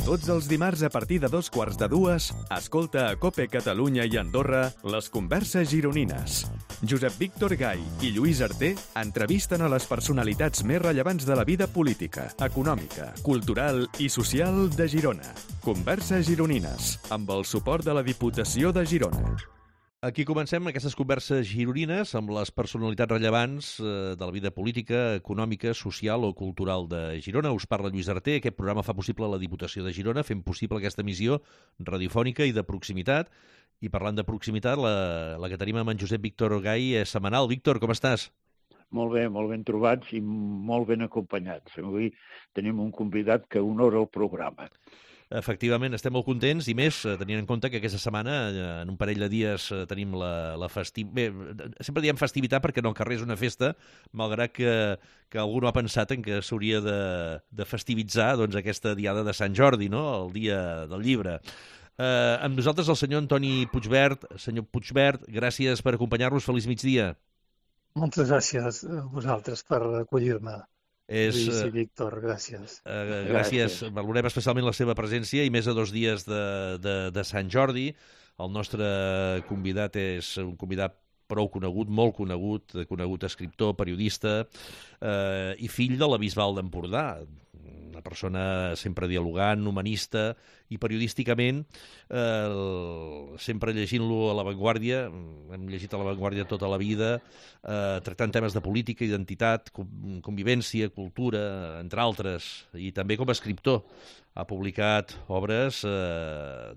Tots els dimarts a partir de 2:15, escolta a COPE Catalunya i Andorra les converses gironines. Josep Víctor Gai i Lluís Arter entrevisten a les personalitats més rellevants de la vida política, econòmica, cultural i social de Girona. Converses gironines, amb el suport de la Diputació de Girona. Aquí comencem aquestes converses gironines amb les personalitats rellevants de la vida política, econòmica, social o cultural de Girona. Us parla Lluís Arter. Aquest programa fa possible la Diputació de Girona, fent possible aquesta emissió radiofònica i de proximitat. I parlant de proximitat, la que tenim amb en Josep Víctor Gai és setmanal. Víctor, com estàs? Molt ben trobats i molt ben acompanyats. Avui tenim un convidat que honora el programa. Efectivament, estem molt contents i més tenint en compte que aquesta setmana, en un parell de dies, tenim la festivitat. Bé, sempre diem festivitat perquè no al carrer és una festa, malgrat que algú no ha pensat en que s'hauria de festivitzar doncs, aquesta diada de Sant Jordi, no? El dia del llibre. Amb nosaltres el senyor Antoni Puigvert. Senyor Puigvert, gràcies per acompanyar-nos. Feliç migdia. Moltes gràcies a vosaltres per acollir-me. Lluís i Víctor, gràcies. Gràcies. Valorem especialment la seva presència i més a 2 dies de Sant Jordi. El nostre convidat és un convidat prou conegut, molt conegut escriptor, periodista i fill de la Bisbal d'Empordà. Una persona sempre dialogant, humanista i periodísticament sempre llegint-lo a La Vanguardia. Hem llegit a La Vanguardia tota la vida, tractant temes de política, identitat, convivència, cultura, entre altres, i també com a escriptor. Ha publicat obres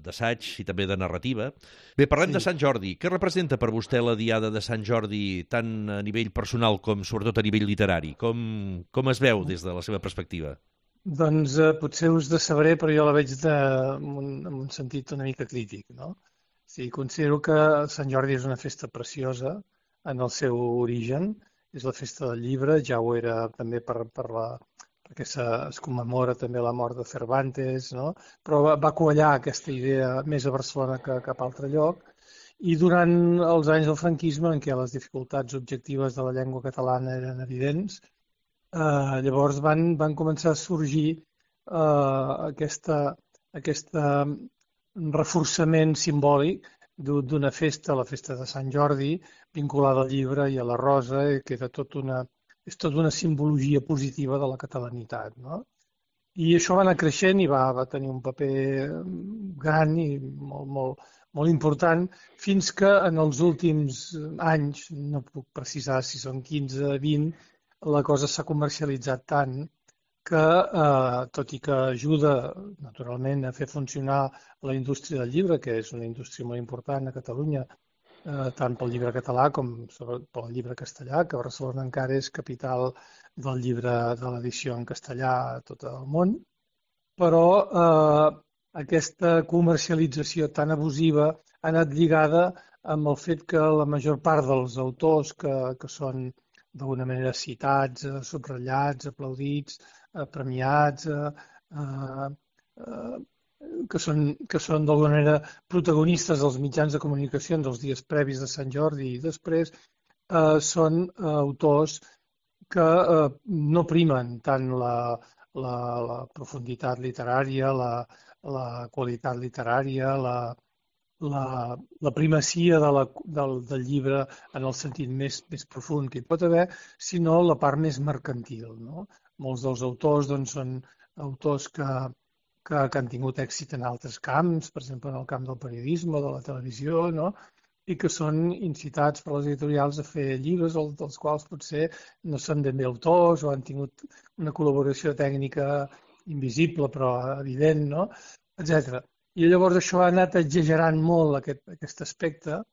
d'assaig i també de narrativa. Bé, parlem de Sant Jordi. Què representa per vostè la diada de Sant Jordi, tant a nivell personal com sobretot a nivell literari? Com es veu des de la seva perspectiva? Doncs potser us decebré, però jo la veig en un sentit una mica crític, no? Sí, considero que Sant Jordi és una festa preciosa en el seu origen. És la festa del llibre, ja ho era també perquè es commemora també la mort de Cervantes, no? Però va quallar aquesta idea més a Barcelona que a cap altre lloc. I durant els anys del franquisme, en què les dificultats objectives de la llengua catalana eren evidents, llavors van començar a sorgir aquest reforçament simbòlic d'una festa, la festa de Sant Jordi, vinculada al llibre i a la rosa, que és tota una simbologia positiva de la catalanitat, no? I això va anar creixent i va tenir un paper gran i molt important, fins que en els últims anys, no puc precisar si són 15, 20, la cosa s'ha comercialitzat tant que, tot i que ajuda, naturalment, a fer funcionar la indústria del llibre, que és una indústria molt important a Catalunya, tant pel llibre català com pel llibre castellà, que Barcelona encara és capital del llibre de l'edició en castellà a tot el món, però aquesta comercialització tan abusiva ha anat lligada amb el fet que la major part dels autors que són d'alguna manera citats, subratllats, aplaudits, premiats, que són d'alguna manera protagonistes dels mitjans de comunicació dels dies previs de Sant Jordi i després, són autors que no primen tant la profunditat literària, la qualitat literària, la primacia del llibre en el sentit més profund que hi pot haver, sinó la part més mercantil, no? Molts dels autors són autors que han tingut èxit en altres camps, per exemple en el camp del periodisme, de la televisió, no? I que són incitats per les editorials a fer llibres dels quals potser no són ben bé autors o han tingut una col·laboració tècnica invisible però evident, no? Etcètera. I llavors això ha anat exagerant molt aquest aspecte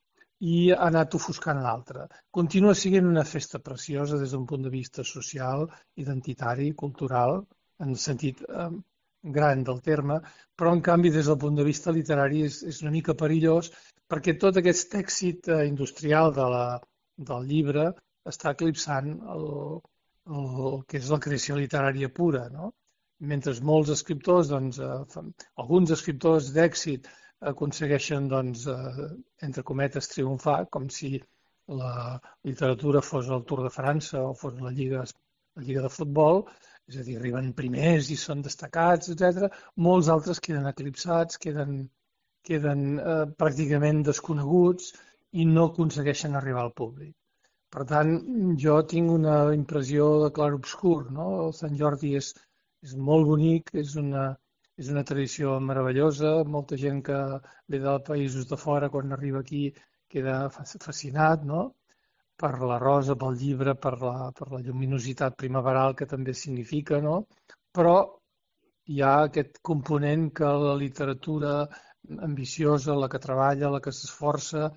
i ha anat ofuscant l'altre. Continua sent una festa preciosa des d'un punt de vista social, identitari, cultural, en el sentit gran del terme, però en canvi des del punt de vista literari és una mica perillós perquè tot aquest èxit industrial del llibre està eclipsant el que és la creació literària pura, no? Mentre molts escriptors, alguns escriptors d'èxit aconsegueixen, entre cometes, triomfar, com si la literatura fos el Tour de França o fos la Lliga de futbol, és a dir, arriben primers i són destacats, etc. Molts altres queden eclipsats, queden pràcticament desconeguts i no aconsegueixen arribar al públic. Per tant, jo tinc una impressió de clar-obscur, no? El Sant Jordi és molt bonic, és una tradició meravellosa, molta gent que ve de països de fora quan arriba aquí queda fascinat, no? Per la rosa, pel llibre, per la lluminositat primaveral que també significa, no? Però hi ha aquest component que la literatura ambiciosa, la que treballa, la que s'esforça,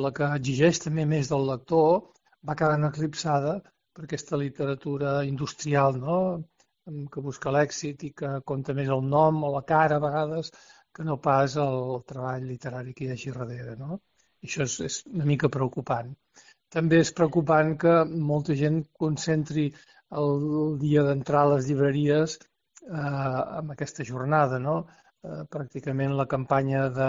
la que exigeix també més del lector, va quedant eclipsada per aquesta literatura industrial, no? Que busca l'èxit i que compta més el nom o la cara a vegades que no pas el treball literari que hi hagi darrere, no? I això és una mica preocupant. També és preocupant que molta gent concentri el dia d'entrar a les llibreries amb aquesta jornada, no? Pràcticament la campanya de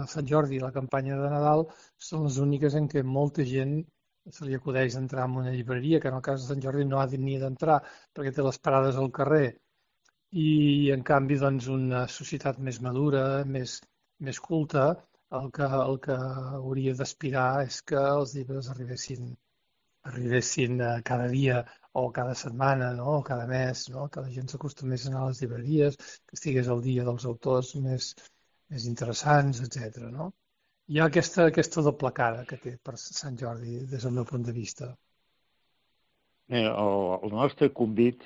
Sant Jordi i la campanya de Nadal són les úniques en què molta gent se li acudeix entrar en una llibreria, que en el cas de Sant Jordi no ha ni d'entrar perquè té les parades al carrer. I, en canvi, doncs, una societat més madura, més culta, el que hauria d'aspirar és que els llibres arribessin cada dia o cada setmana, no? O cada mes, no? Que la gent s'acostumés a anar a les llibreries, que estigués al dia dels autors més interessants, etc. No? Hi ha aquesta doble cara que té per Sant Jordi des del meu punt de vista. El nostre convit,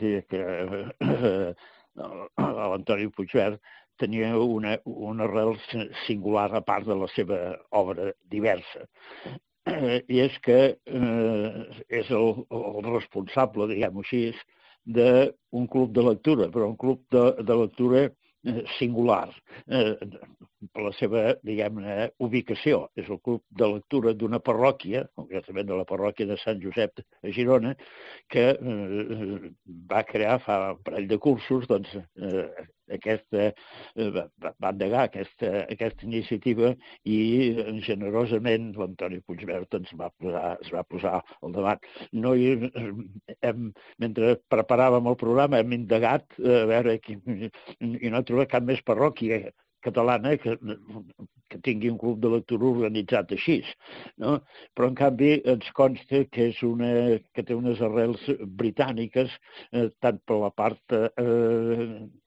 l'Antoni Puigvert, tenia una arrel singular a part de la seva obra diversa. I és que és el responsable, diguem-ho així, d'un club de lectura, però un club de lectura singular per la seva, diguem-ne, ubicació. És el club de lectura d'una parròquia, concretament de la parròquia de Sant Josep a Girona, que va crear fa un parell de cursos, doncs, va endegar aquesta iniciativa i generosament l'Antoni Puigvert es va posar al davant. Mentre preparàvem el programa hem indagat a veure i no he trobat cap més parròquia catalana que tingui un club de lectura organitzat així, no? Però en canvi ens consta que que té unes arrels britàniques, tant per la part,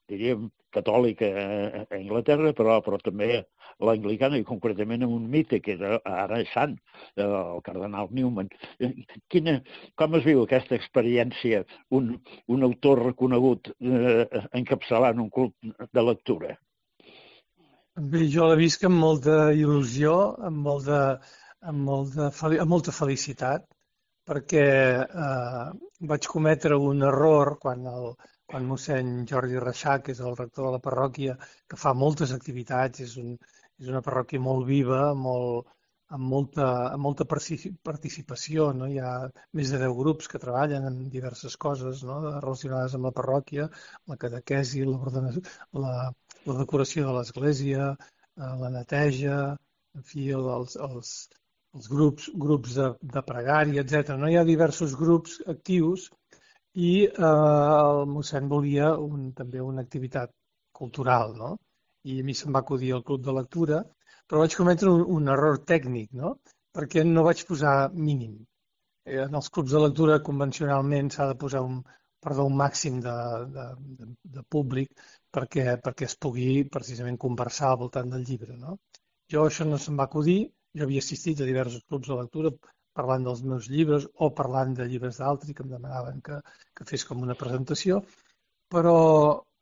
diríem, catòlica a Anglaterra, però també l'anglicana i concretament en un mite que ara és sant, el cardenal Newman. Com es viu aquesta experiència, un autor reconegut encapçalant un club de lectura? Bé, jo l'he vist amb molta il·lusió, amb molta felicitat, perquè vaig cometre un error quan mossèn Jordi Reixac, que és el rector de la parròquia, que fa moltes activitats, és una parròquia molt viva, amb molta participació, no? Hi ha més de 10 grups que treballen en diverses coses, no? Relacionades amb la parròquia, la catequesi, la decoració de l'església, la neteja, en fi, els grups de pregària, etc. No? Hi ha diversos grups actius i el mossèn volia també una activitat cultural, no? I a mi se'm va acudir el club de lectura, però vaig cometre un error tècnic, no? Perquè no vaig posar mínim. En els clubs de lectura convencionalment s'ha de posar un màxim de públic perquè es pugui precisament conversar al voltant del llibre, no? Jo això no se'm va acudir, jo havia assistit a diversos clubs de lectura parlant dels meus llibres o parlant de llibres d'altres que em demanaven que fes com una presentació, però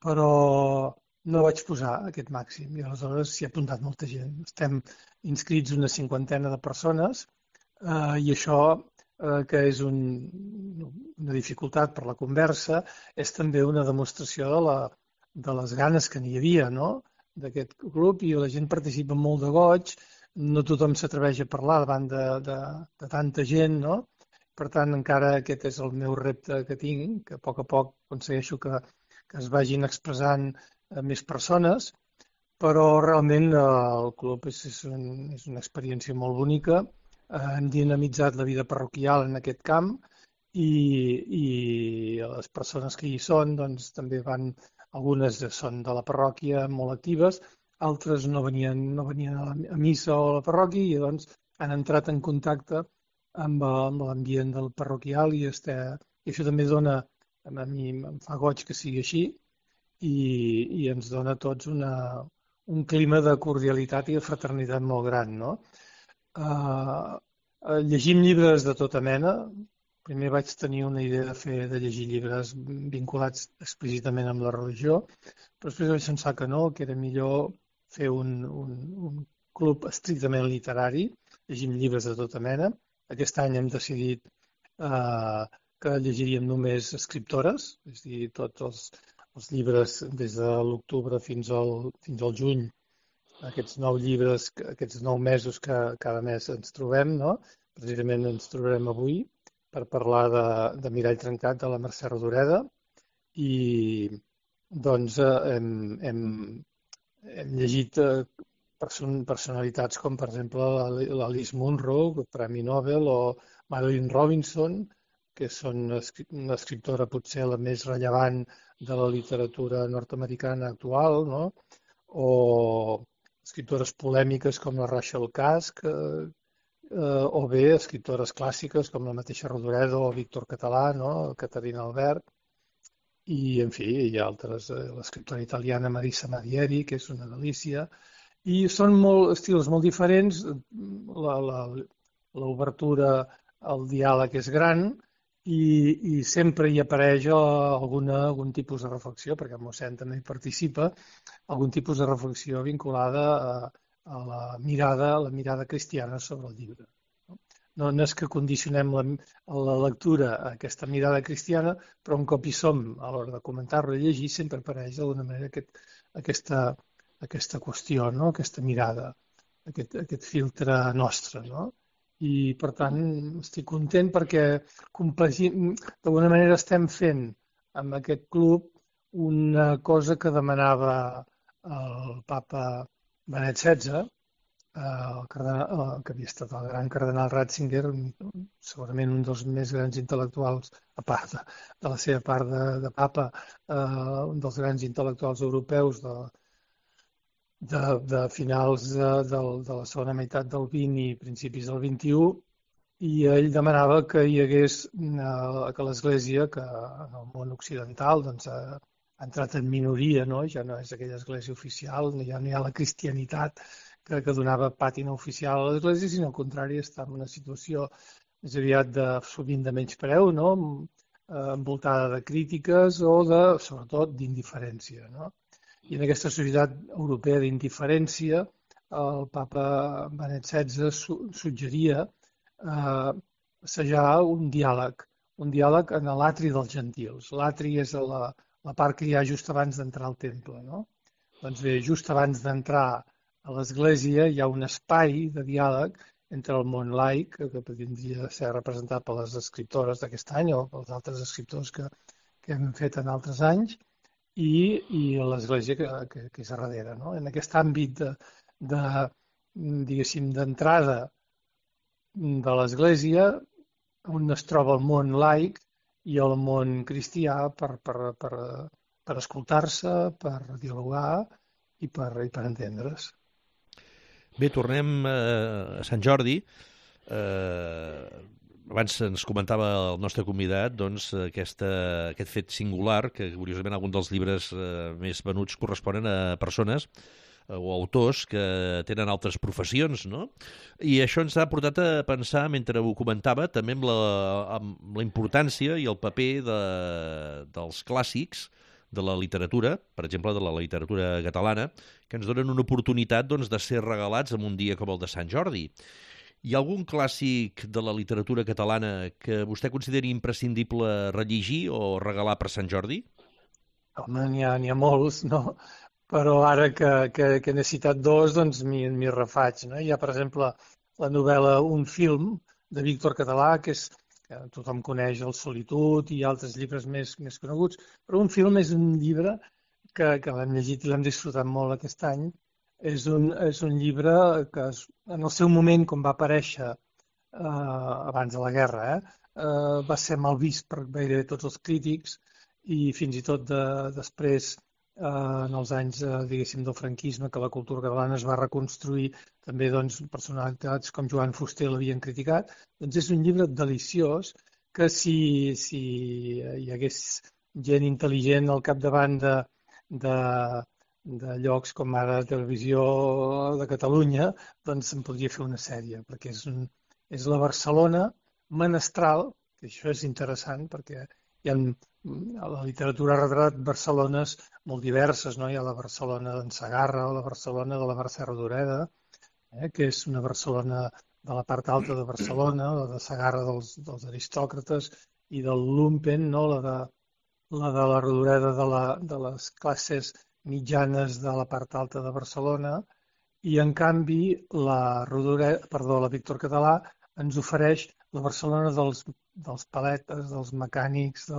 no vaig posar aquest màxim i aleshores s'hi ha apuntat molta gent. Estem inscrits una 50ena de persones i això, que és una dificultat per la conversa, és també una demostració de les ganes que n'hi havia, no? D'aquest grup, i la gent participa molt de goig, no tothom s'atreveix a parlar davant de tanta gent, no? Per tant, encara aquest és el meu repte que tinc, que a poc aconsegueixo que es vagin expressant més persones, però realment el club és una experiència molt bonica. Hem dinamitzat la vida parroquial en aquest camp i les persones que hi són doncs, també algunes són de la parròquia molt actives, altres no venien a missa o a la parròquia i doncs han entrat en contacte amb l'ambient del parroquial i això també dona, a mi em fa goig que sigui així i ens dona a tots un clima de cordialitat i de fraternitat molt gran, no? Llegim llibres de tota mena. Primer vaig tenir una idea de llegir llibres vinculats explícitament amb la religió, però després vaig pensar que no, que era millor fer un club estrictament literari. Llegim llibres de tota mena. Aquest any hem decidit que llegiríem només escriptores, és a dir, tots els llibres des de l'octubre fins al juny, aquests 9 llibres, aquests 9 mesos que cada mes ens trobem, no? Precisament ens trobarem avui per parlar de Mirall trencat de la Mercè Rodoreda i doncs hem llegit personalitats com per exemple l'Alice Munro, Premi Nobel, o Marilyn Robinson, que són una escriptora potser la més rellevant de la literatura nord-americana actual, no? O escriptores polèmiques com la Rachel Cusk, o bé escriptores clàssiques com la mateixa Rodoreda o Víctor Català, no? Caterina Albert, i en fi, hi ha altres, l'escriptora italiana Marisa Madieri, que és una delícia, i són estils molt diferents, l'obertura al diàleg és gran i sempre hi apareix algun tipus de reflexió, perquè el mossèn també hi participa, algun tipus de reflexió vinculada a la mirada cristiana sobre el llibre. No és que condicionem la lectura a aquesta mirada cristiana, però un cop hi som a l'hora de comentar-lo i llegir sempre apareix d'alguna manera aquesta qüestió, no? Aquesta mirada, aquest filtre nostre, no? I per tant estic content perquè d'alguna manera estem fent amb aquest club una cosa que demanava el papa Benet XVI, que havia estat el gran cardenal Ratzinger, segurament un dels més grans intel·lectuals, a part de la seva part de papa, un dels grans intel·lectuals europeus de finals de la segona meitat del XX i principis del XXI, i ell demanava que hi hagués, que l'Església, que en el món occidental doncs, ha entrat en minoria, no? Ja no és aquella església oficial, ja no hi ha la cristianitat que donava pàtina oficial a l'Església, sinó al contrari, està en una situació més aviat sovint de menyspreu, no? Envoltada de crítiques o sobretot d'indiferència, no? I en aquesta societat europea d'indiferència, el papa Benet XVI suggeria assajar un diàleg en l'atri dels gentils. L'atri és la part que hi ha just abans d'entrar al temple, no? Doncs bé, just abans d'entrar a l'Església hi ha un espai de diàleg entre el món laic, que podria ser representat per les escriptores d'aquest any o pels altres escriptors que hem fet en altres anys, i l'Església que és a darrere, no? En aquest àmbit diguéssim, d'entrada de l'Església, on es troba el món laic i el món cristià per escoltar-se, per dialogar i per entendre's. Bé, tornem a Sant Jordi. Abans ens comentava el nostre convidat doncs, aquest fet singular, que curiosament alguns dels llibres més venuts corresponen a persones o autors que tenen altres professions, no? I això ens ha portat a pensar, mentre ho comentava, també amb la importància i el paper dels clàssics de la literatura, per exemple, de la literatura catalana, que ens donen una oportunitat doncs, de ser regalats en un dia com el de Sant Jordi. Hi ha algun clàssic de la literatura catalana que vostè consideri imprescindible rellegir o regalar per Sant Jordi? Home, n'hi ha molts, no? Però ara que n'he citat dos, doncs m'hi refaig, no? Hi ha, per exemple, la novel·la Un film, de Víctor Català, que tothom coneix El Solitud i altres llibres més coneguts, però Un film és un llibre que l'hem llegit i l'hem disfrutat molt aquest any. És un llibre que en el seu moment, com va aparèixer abans de la guerra, va ser mal vist per gairebé tots els crítics i fins i tot després, en els anys, diguéssim, del franquisme, que la cultura catalana es va reconstruir, també doncs, personalitats com Joan Fuster l'havien criticat. Doncs és un llibre deliciós que si hi hagués gent intel·ligent al capdavant de llocs com ara Televisió de Catalunya, doncs se'n podria fer una sèrie, perquè és la Barcelona menestral, que això és interessant, perquè hi ha a la literatura ha retratat Barcelones molt diverses, no? Hi ha la Barcelona d'en Segarra o la Barcelona de la Mercè Rodoreda, que és una Barcelona de la part alta de Barcelona, la de Segarra dels aristòcrates i del Lumpen, no? La de la Rodoreda de les classes mitjanes de la part alta de Barcelona, i en canvi la Víctor Català ens ofereix la Barcelona dels paletes, dels mecànics,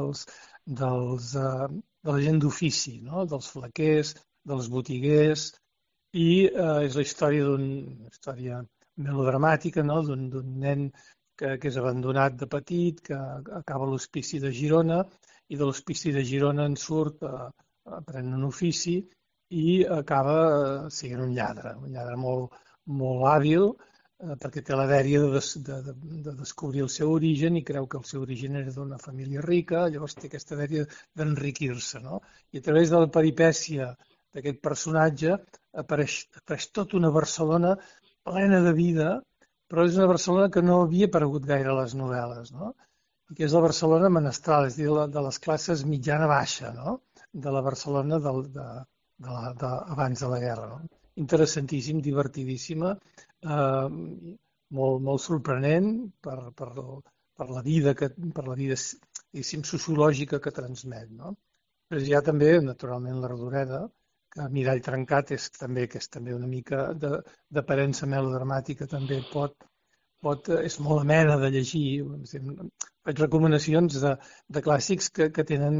de la gent d'ofici, no? Dels flequers, dels botiguers, i és la història melodramàtica, no? D'un nen que és abandonat de petit, que acaba a l'hospici de Girona, i de l'hospici de Girona en surt, aprèn un ofici i acaba sent un lladre molt, molt hàbil, perquè té la dèria de descobrir el seu origen i creu que el seu origen era d'una família rica, llavors té aquesta dèria d'enriquir-se, no? I a través de la peripècia d'aquest personatge apareix tota una Barcelona plena de vida, però és una Barcelona que no havia aparegut gaire a les novel·les, no? I que és la Barcelona menestral, és a dir, de les classes mitjana-baixa, no? De la Barcelona abans de la guerra, no? Interessantíssim, divertidíssima, molt sorprenent per la vida diguéssim, sociològica que transmet, no? Però hi ha també, naturalment, la Rodoreda, que Mirall trencat és també una mica d'aparença melodramàtica, també és molt amena de llegir. Faig recomanacions de clàssics que tenen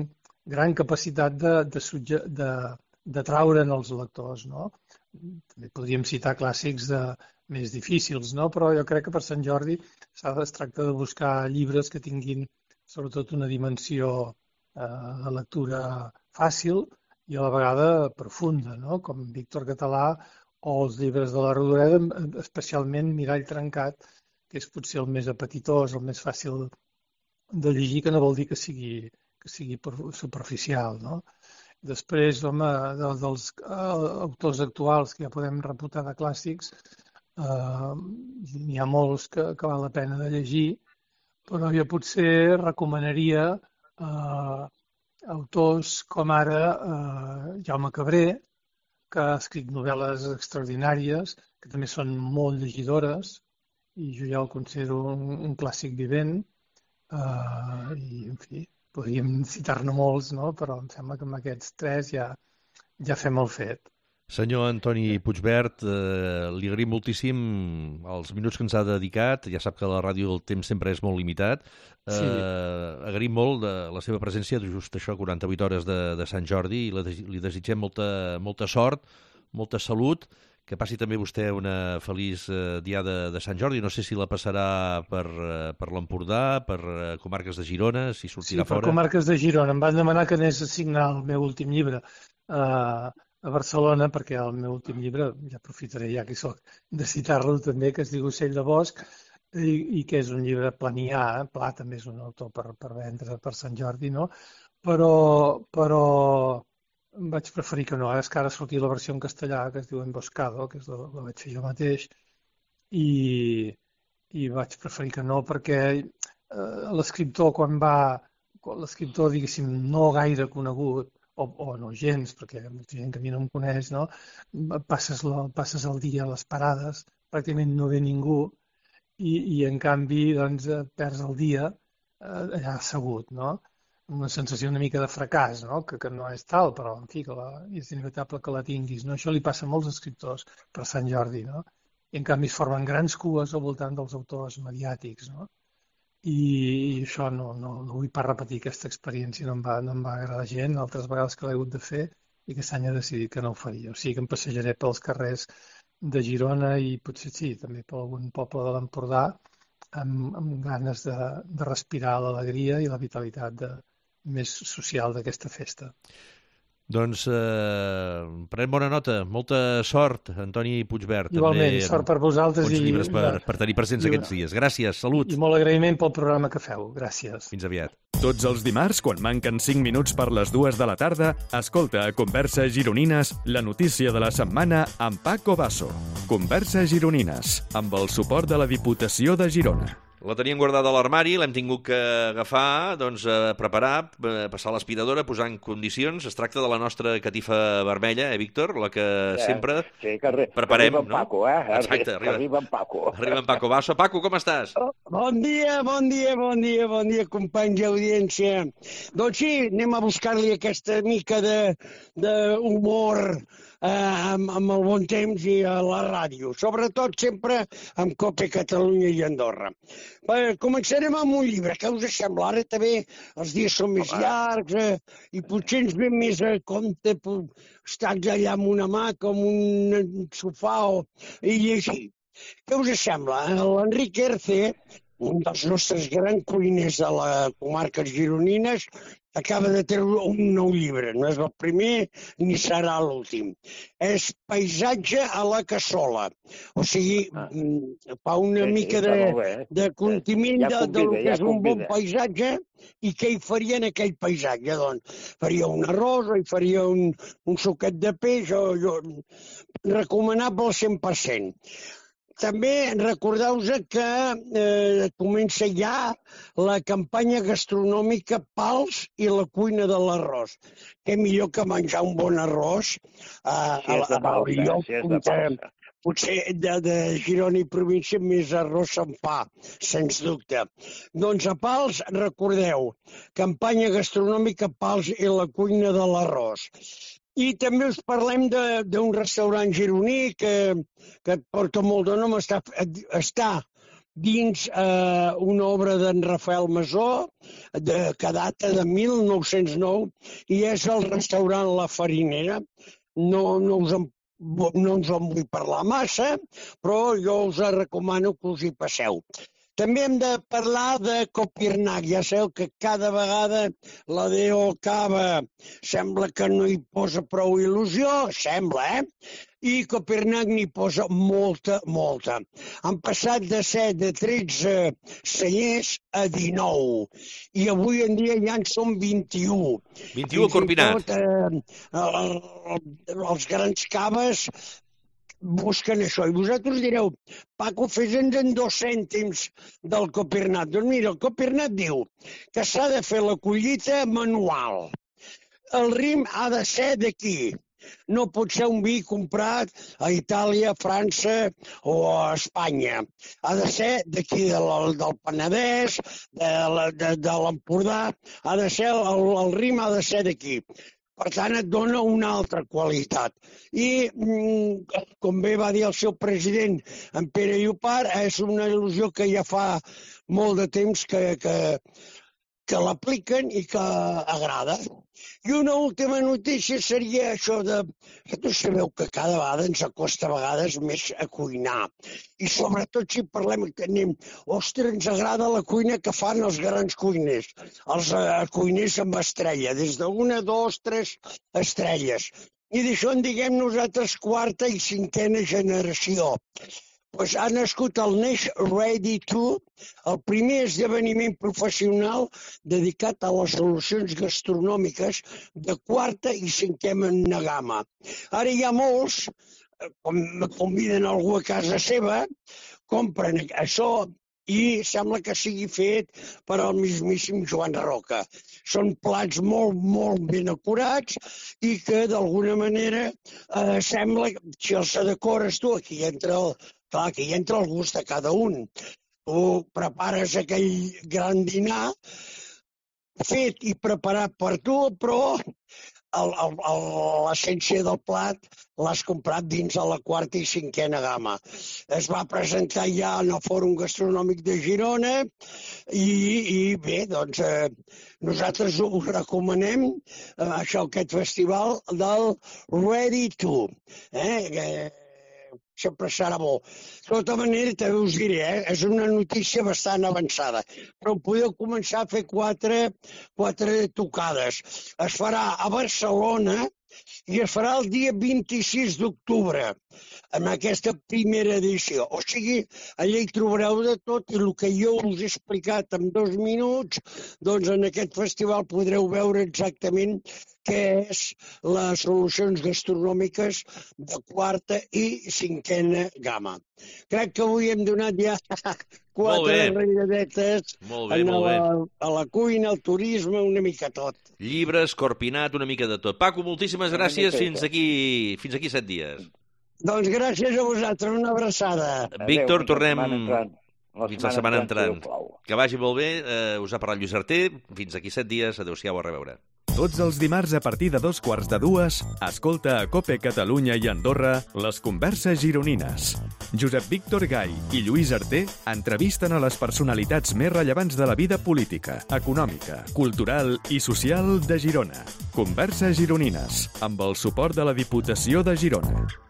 gran capacitat de traure'n els lectors, no? També podríem citar clàssics més difícils, no? Però jo crec que per Sant Jordi es tracta de buscar llibres que tinguin sobretot una dimensió de lectura fàcil i a la vegada profunda, no? Com Víctor Català o els llibres de la Rodoreda, especialment Mirall trencat, que és potser el més apetitós, el més fàcil de llegir, que no vol dir que sigui superficial, no? Després, home, dels autors actuals que ja podem reputar de clàssics, n'hi ha molts que val la pena de llegir, però jo potser recomanaria autors com ara Jaume Cabré, que ha escrit novel·les extraordinàries, que també són molt llegidores, i jo ja el considero un clàssic vivent, i, en fi, podríem citar-ne molts, no? Però em sembla que amb aquests tres ja fem el fet. Senyor Antoni Puigvert, li agraïm moltíssim els minuts que ens ha dedicat. Ja sap que a la ràdio el temps sempre és molt limitat. Sí. Agraïm molt de la seva presència, just això, 48 hores de Sant Jordi, i li desitgem molta sort, molta salut, que passi també vostè una feliç diada de Sant Jordi. No sé si la passarà per l'Empordà, per comarques de Girona, si sortirà fora. Sí, per comarques de Girona. Em van demanar que anés a signar el meu últim llibre a Barcelona, perquè el meu últim llibre, ja aprofitaré ja que hi soc, de citar-lo també, que es diu Ocell de Bosc, i que és un llibre planià, Pla també és un autor per vendre per Sant Jordi, no? Però vaig preferir que no, és que ara ha sortit la versió en castellà, que es diu Emboscado, que la vaig fer jo mateix, i vaig preferir que no, perquè l'escriptor, l'escriptor, diguéssim, no gaire conegut, o no gens, perquè hi ha molta gent que a mi no em coneix, no? Passes el dia a les parades, pràcticament no ve ningú, i en canvi doncs, perds el dia allà assegut, no? Una sensació una mica de fracàs, no? Que no és tal, però en fi, és inevitable que la tinguis, no? Això li passa a molts escriptors per Sant Jordi, no? I en canvi es formen grans cues al voltant dels autors mediàtics, no? I això no vull pas repetir aquesta experiència, no em va agradar gent, altres vegades que l'he hagut de fer i aquest any he decidit que no ho faria. O sigui que em passejaré pels carrers de Girona i potser sí, també per algun poble de l'Empordà amb ganes de respirar l'alegria i la vitalitat més social d'aquesta festa. Doncs pren bona nota. Molta sort, Antoni Puigvert. Igualment, també, sort per vosaltres. Bons llibres per tenir presents aquests dies. Gràcies, salut. I molt agraïment pel programa que feu. Gràcies. Fins aviat. Tots els dimarts, quan manquen 5 minuts per les 2 de la tarda, escolta a Converses Gironines la notícia de la setmana amb Paco Basso. Converses Gironines, amb el suport de la Diputació de Girona. La teníem guardada a l'armari, l'hem tingut que agafar, doncs, preparar, passar l'aspiradora, posar en condicions. Es tracta de la nostra catifa vermella, Víctor? La que sempre preparem, no? Paco, Exacte, arriba en Paco. Arriba en Paco Basso. Paco, com estàs? Bon dia, companys d'audiència. Doncs sí, anem a buscar-li aquesta mica d'humor amb el bon temps i a la ràdio, sobretot sempre amb COPE Catalunya i Andorra. Començarem amb un llibre, què us sembla? Ara també els dies són més llargs i potser ens ve més a compte estar allà amb una hamaca, amb un sofà i llegir. Què us sembla? L'Enric Erce, un dels nostres grans cuiners de les comarques gironines, acaba de treure un nou llibre. No és el primer ni serà l'últim. És Paisatge a la cassola. O sigui, fa una mica de contingut del que és un bon paisatge i què hi faria en aquell paisatge. Doncs faria un arròs o hi faria un suquet de peix, recomanable al 100%. També recordeu-vos que comença ja la campanya gastronòmica Pals i la cuina de l'arròs. Què millor que menjar un bon arròs al lloc potser de Girona i província més arròs se'n fa, sens dubte. Doncs a Pals, recordeu, campanya gastronòmica Pals i la cuina de l'arròs. I també us parlem d'un restaurant gironí que porta molt de nom, està dins una obra d'en Rafael Masó, que data de 1909, i és el restaurant La Farinera. No us en vull parlar massa, però jo us recomano que us hi passeu. També hem de parlar de Copirnac. Ja sabeu que cada vegada la D.O. Cava sembla que no hi posa prou il·lusió, sembla, I Copirnac n'hi posa molta. Han passat de ser de 13 cellers a 19. I avui en dia ja en són 21. 21 a Corpinat. Els grans caves busquen això. I vosaltres direu, Paco, fes-nos en 2 cèntims del Copirnat. Doncs mira, el Copirnat diu que s'ha de fer la collita manual. El rim ha de ser d'aquí. No pot ser un vi comprat a Itàlia, a França o a Espanya. Ha de ser d'aquí, del Penedès, de l'Empordà. Ha de ser, el rim ha de ser d'aquí. Per tant, et dona una altra qualitat. I, com bé va dir el seu president, en Pere Llopart, és una il·lusió que ja fa molt de temps que l'apliquen i que agrada. I una última notícia seria això de... Vosaltres sabeu que cada vegada ens acosta a vegades més a cuinar. I sobretot si parlem que anem... Ostres, ens agrada la cuina que fan els grans cuiners. Els cuiners amb estrella, des d'1, 2, 3 estrelles. I d'això en diguem nosaltres 4ª i 5ª generació. Doncs ha nascut el Neix Ready To, el primer esdeveniment professional dedicat a les solucions gastronòmiques de 4ª i 5ª gamma. Ara hi ha molts, com conviden algú a casa seva, compren això i sembla que sigui fet per al mismíssim Joan Roca. Són plats molt ben acurats i que d'alguna manera sembla que si els decores tu, aquí entra el gust de cada un. Tu prepares aquell gran dinar fet i preparat per tu, però l'essència del plat l'has comprat dins de la 4ª i 5ª gamma. Es va presentar ja en el Fòrum Gastronòmic de Girona i bé, doncs nosaltres us recomanem aquest festival del Ready To. sempre serà bo. De tota manera, també us diré, és una notícia bastant avançada, però podeu començar a fer quatre tocades. Es farà a Barcelona i es farà el dia 26 d'octubre, en aquesta primera edició. O sigui, allà hi trobareu de tot i el que jo us he explicat en 2 minuts, doncs en aquest festival podreu veure exactament què és les solucions gastronòmiques de quarta i cinquena gamma. Crec que avui hem donat ja 4 enraiadetes a la cuina, al turisme, una mica tot. Llibres, Corpinat, una mica de tot. Paco, moltíssimes gràcies. Fins aquí 7 dies. Doncs gràcies a vosaltres, una abraçada. Víctor, tornem fins la setmana entrant. Que vagi molt bé. Us ha parlat Lluís Arté. Fins aquí 7 dies. Adéu-siau, a reveure. Tots els dimarts a partir de 2:45, escolta a COPE Catalunya i Andorra les converses gironines. Josep Víctor Gai i Lluís Arté entrevisten a les personalitats més rellevants de la vida política, econòmica, cultural i social de Girona. Converses gironines, amb el suport de la Diputació de Girona.